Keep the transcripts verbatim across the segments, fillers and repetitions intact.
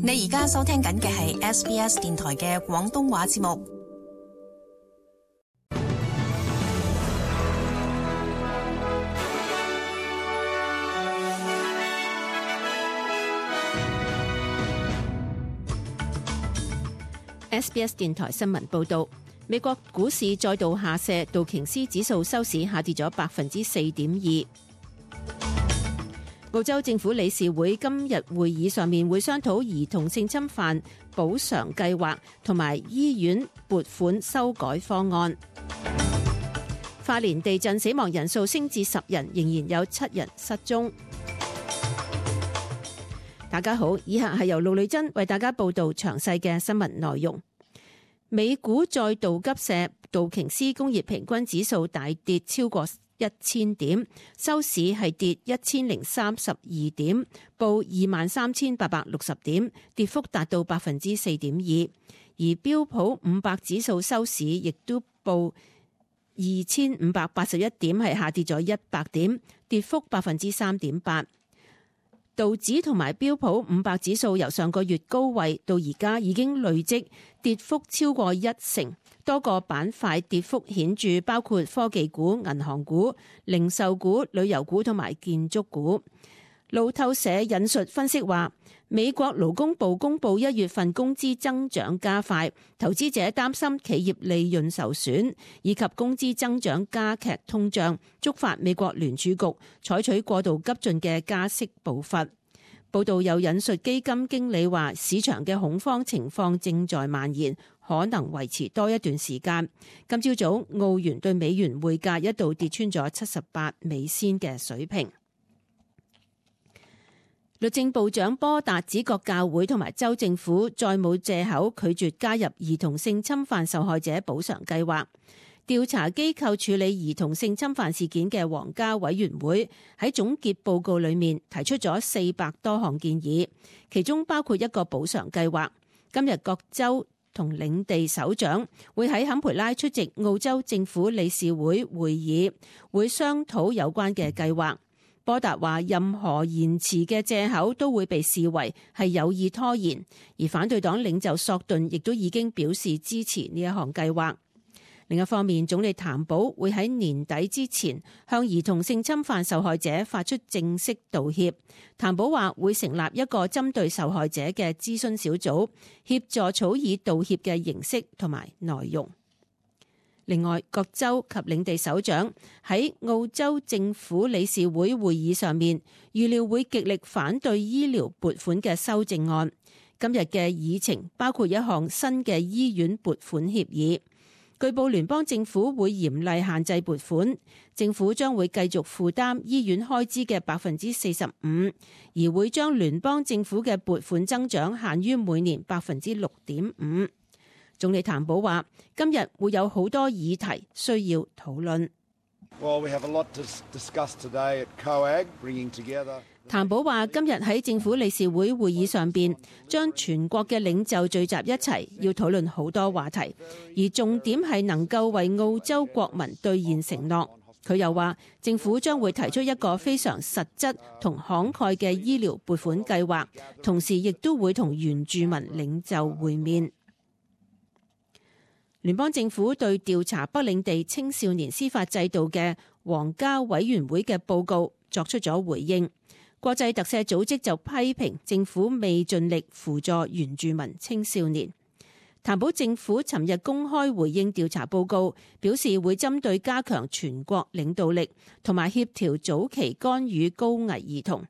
你而家收聽緊嘅係 S B S 電台嘅廣東話節目。S B S 電台新聞報道，美國股市再度下瀉，道瓊斯指數收市下跌咗百分之四點二。澳洲政府理事會今日會議上面會商討兒童性侵犯補償計劃同埋醫院撥款修改方案。花蓮地震死亡人數升至十人，仍然有七人失蹤。大家好，以下係由盧麗珍為大家報道詳細嘅新聞內容。美股再度急瀉，道瓊斯工業平均指數大跌超過一千點，收市係跌一千零三十二點，報二萬三千八百六十點，跌幅達到百分之四點二。而標普五百指數收市亦都報二千五百八十一點，係下跌咗一百點，跌幅百分之三點八。道指同埋標普五百指數由上個月高位到而家已經累積跌幅超過一成，多個板塊跌幅顯著，包括科技股、銀行股、零售股、旅遊股同埋建築股。路透社引述分析話，美國勞工部公布一月份工資增長加快，投資者擔心企業利潤受損，以及工資增長加劇通脹，觸發美國聯儲局採取過度急進嘅加息步伐。報道又引述基金經理話，市場嘅恐慌情況正在蔓延，可能維持多一段時間。今朝早澳元對美元匯價一度跌穿咗七十八美仙嘅水平。律政部長波達指各教會同埋州政府再冇藉口拒絕加入兒童性侵犯受害者補償計劃。調查機構處理兒童性侵犯事件嘅皇家委員會喺總結報告裏面提出咗四百多項建議，其中包括一個補償計劃。今日各州同領地首長會喺坎培拉出席澳洲政府理事會會議，會商討有關嘅計劃。波達話，任何延遲嘅藉口都會被視為係有意拖延，而反對黨領袖索頓亦都已經表示支持呢一項計劃。另一方面，總理譚寶會喺年底之前向兒童性侵犯受害者發出正式道歉。譚寶話會成立一個針對受害者嘅諮詢小組，協助草擬道歉嘅形式同埋內容。另外，各州及領地首長喺澳洲政府理事會會議上面，預料會極力反對醫療撥款嘅修正案。今日嘅議程包括一項新嘅醫院撥款協議。據報聯邦政府會嚴厲限制撥款，政府將會繼續負擔醫院開支嘅百分之四十五，而會將聯邦政府嘅撥款增長限於每年百分之六點五。總理譚寶話，今日會有好多議題需要討論。Well, we have a lot to discuss today at C O A G, bringing together. 譚寶話，今日喺政府理事會會議上邊，將全國嘅領袖聚集一齊，要討論好多話題，而重點係能夠為澳洲國民兌現承諾。佢又話，政府將會提出一個非常實質同慷慨嘅醫療撥款計劃，同時亦都會同原住民領袖會面。聯邦政府對調查北領地青少年司法制度嘅皇家委員會嘅報告作出咗回應。國際特赦組織就批評政府未盡力輔助原住民青少年。譚寶政府尋日公開回應調查報告，表示會針對加強全國領導力同埋協調早期干預高危兒童，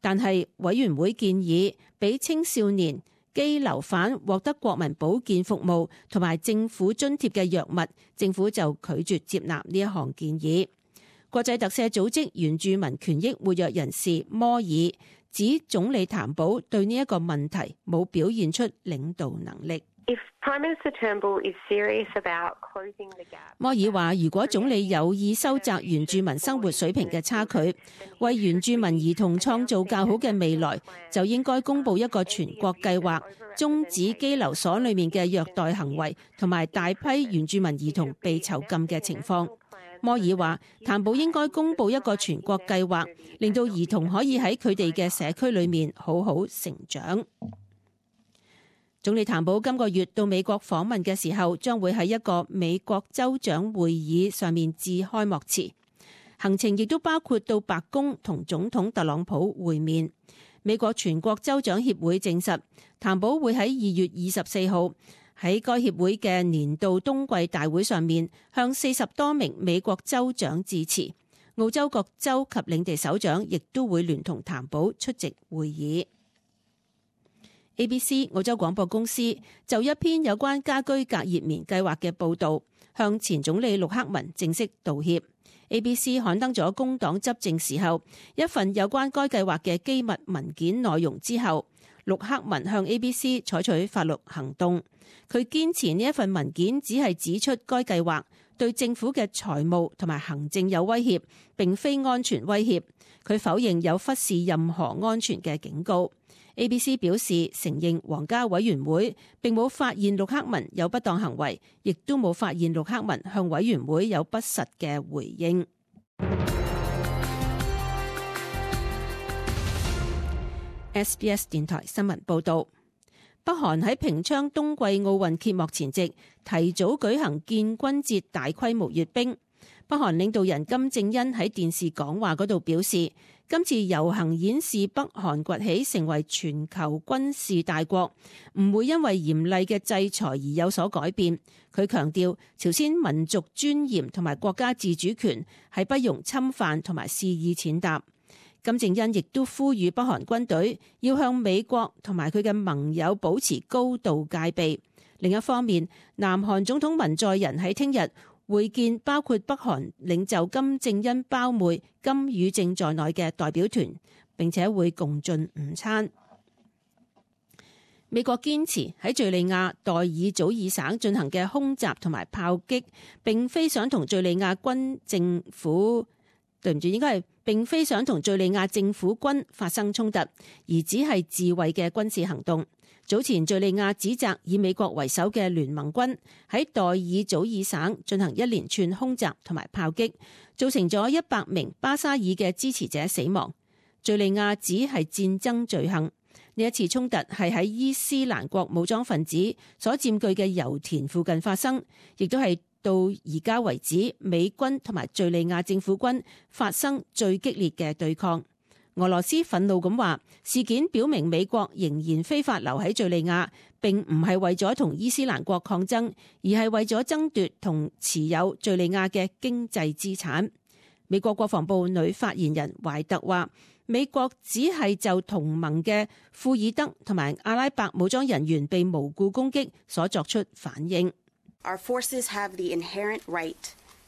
但係委員會建議俾青少年羈留犯獲得國民保健服務同埋政府津貼嘅藥物，政府就拒絕接納呢一項建議。國際特赦組織原住民權益活躍人士摩爾指，總理譚寶對呢一個問題冇表現出領導能力。If Prime Minister Turnbull is serious about closing the gap, 摩爾話，如果總理有意收窄原住民生活水平嘅差距，為原住民兒童創造較好嘅未來，就應該公布一個全國計劃，終止羈留所裏面嘅虐待行為同埋大批原住民兒童被囚禁嘅情況。摩爾話，譚寶應該公布一個全國計劃，令到兒童可以喺佢哋嘅社區裏面好好成長。總理譚寶今個月到美國訪問嘅時候，將會喺一個美國州長會議上面致開幕詞。行程亦都包括到白宮同總統特朗普會面。美國全國州長協會證實，譚寶會喺二月二十四號喺該協會嘅年度冬季大會上面向四十多名美國州長致辭。澳洲各州及領地首長亦都會聯同譚寶出席會議。A B C 澳洲廣播公司就一篇有關家居隔熱棉計劃嘅報導，向前總理陸克文正式道歉。A B C 刊登咗工黨執政時候一份有關該計劃嘅機密文件內容之後，陸克文向 A B C 採取法律行動。佢堅持呢一份文件只係指出該計劃對政府嘅財務同埋行政有威脅，並非安全威脅。佢否認有忽視任何安全嘅警告。A B C 表示承認皇家委員會並冇發現陸克文有不當行為，亦都冇發現陸克文向委員會有不實嘅回應。S B S 電台新聞報道，北韓喺平昌冬季奧運揭幕前夕提早舉行建軍節大規模閱兵。北韓領導人金正恩喺電視講話嗰度表示，今次遊行演示北韓崛起成為全球軍事大國，唔會因為嚴厲嘅制裁而有所改變。佢強調，朝鮮民族尊嚴同埋國家自主權係不容侵犯同埋肆意踐踏。金正恩亦都呼籲北韓軍隊要向美國同埋佢嘅盟友保持高度戒備。另一方面，南韓總統文在寅喺聽日會見包括北韓領袖金正恩胞妹金與正在內嘅代表團，並且會共進午餐。美國堅持喺敘利亞代爾祖爾省進行嘅空襲同埋炮擊，並非想同敘利亞軍政府對唔住，應該係並非想同敘利亞政府軍發生衝突，而只係自衛嘅軍事行動。早前敘利亞指責以美國為首嘅聯盟軍喺代爾祖爾省進行一連串空襲同埋炮擊，造成咗一百名巴沙爾嘅支持者死亡。敘利亞指係戰爭罪行。呢一次衝突係喺伊斯蘭國武裝分子所佔據嘅油田附近發生，亦都係到而家為止美軍同埋敘利亞政府軍發生最激烈嘅對抗。俄羅斯憤怒咁話，事件表明美國仍然非法留喺敘利亞，並唔係為咗同伊斯蘭國抗爭，而係為咗爭奪同持有敘利亞嘅經濟資產。美國國防部女發言人懷特話，美國只係就同盟嘅庫爾德同埋阿拉伯武裝人員被無故攻擊所作出反應。Our forces have the inherent right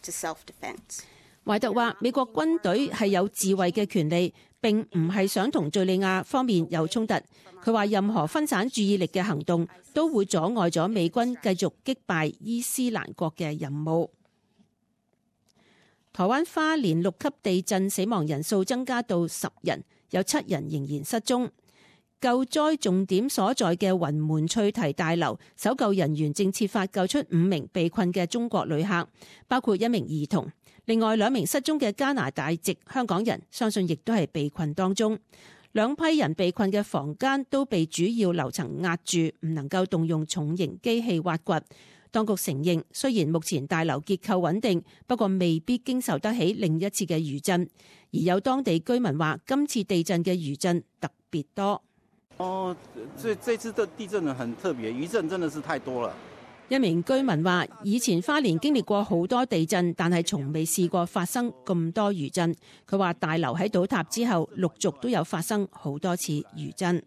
to self-defense. 懷特話，美國軍隊係有自衛嘅權利，並唔係想同敘利亞方面有衝突。佢話任何分散注意力嘅行動都會阻礙咗美軍繼續擊敗伊斯蘭國嘅任務。台灣花蓮六級地震死亡人數增加到十人，有七人仍然失蹤。救災重點所在嘅雲門翠堤大樓，搜救人員正設法救出五名被困嘅中國旅客，包括一名兒童。另外兩名失蹤嘅加拿大籍香港人，相信亦都係被困當中。兩批人被困嘅房間都被主要樓層壓住，唔能夠動用重型機器挖掘。當局承認，雖然目前大樓結構穩定，不過未必經受得起另一次嘅餘震。而有當地居民話，今次地震嘅餘震特別多。哦，這這次的地震呢很特別，餘震真的是太多了。一名居民話，以前花蓮經歷過好多地震，但係從未試過發生咁多餘震。佢話大樓喺倒塌之後，陸續都有發生好多次餘震。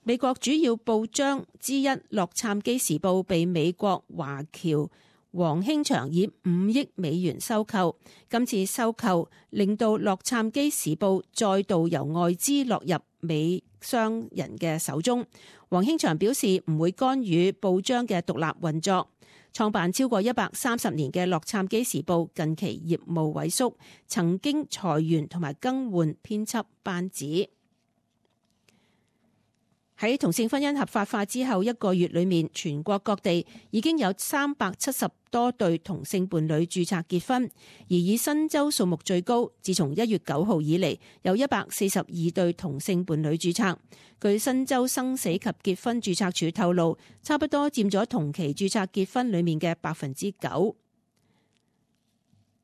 美國主要報章之一《洛杉磯時報》被美國華僑黃興祥以五億美元收購。今次收購令到《洛杉磯時報》再度由外資落入美商人嘅手中。黃興祥表示唔會干預報章嘅獨立運作。創辦超過一百三十年嘅《洛杉磯時報》近期業務萎縮，曾經裁員同埋更換編輯班子。喺同性婚姻合法化之後一個月裏面，全國各地已經有三百七十多對同性伴侶註冊結婚，而以新州數目最高。自從一月九號以嚟，有一百四十二對同性伴侶註冊。據新州生死及結婚註冊處透露，差不多佔咗同期註冊結婚裏面嘅百分之九。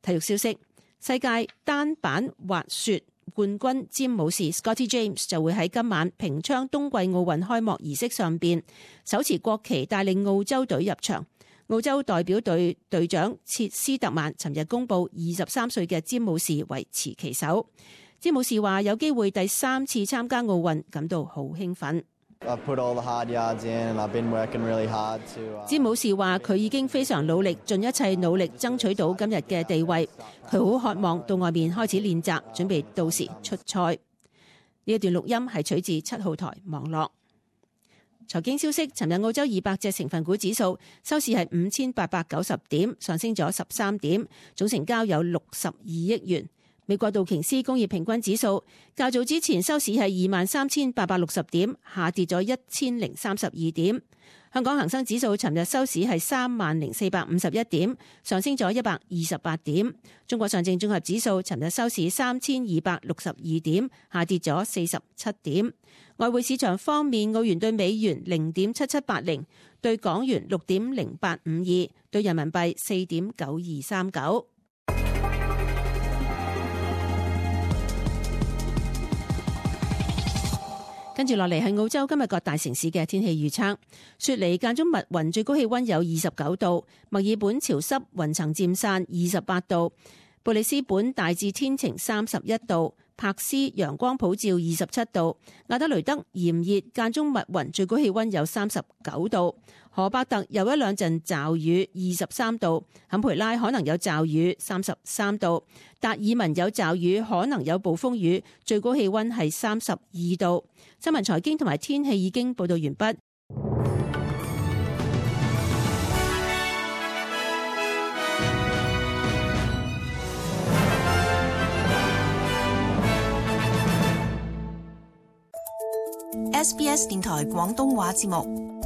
體育消息：世界單板滑雪冠軍詹姆士 Scotty James 就會喺今晚平昌冬季奧運開幕儀式上邊手持國旗帶領澳洲隊入場。澳洲代表隊隊長切斯特曼尋日公布，二十三歲嘅詹姆士為持旗手。詹姆士話有機會第三次參加奧運，感到好興奮。詹姆士話佢已經非常努力，盡一切努力爭取到今日嘅地位。佢好渴望到外面開始練習，準備到時出賽。呢一段錄音係取自七號台網絡。財經消息：尋日澳洲二百隻成分股指數收市係五千八百九十點，上升咗十三點，總成交有六十二億元。美國道瓊斯工業平均指數較早之前收市係二萬三千八百六十點，下跌咗一千零三十二點。香港恒生指數尋日收市係三萬零四百五十一點，上升咗一百二十八點。中國上證綜合指數尋日收市三千二百六十二點，下跌咗四十七點。外匯市場方面，澳元對美元零點七七八零，對港元六點零八五二，對人民幣四點九二三九。跟住落嚟係澳洲今日各大城市嘅天氣預測。雪梨間中密雲，最高氣溫有二十九度；墨爾本潮濕，雲層漸散，二十八度；布里斯本大致天晴，三十一度；柏斯陽光普照，二十七度；亞德雷德炎熱間中密雲，最高氣溫有三十九度；荷伯特有一兩陣驟雨，二十三度；坎培拉可能有驟雨，三十三度；達爾文有驟雨，可能有暴風雨，最高氣溫係三十二度。新聞財經同埋天氣已經報道完畢。S B S 電台廣東話節目。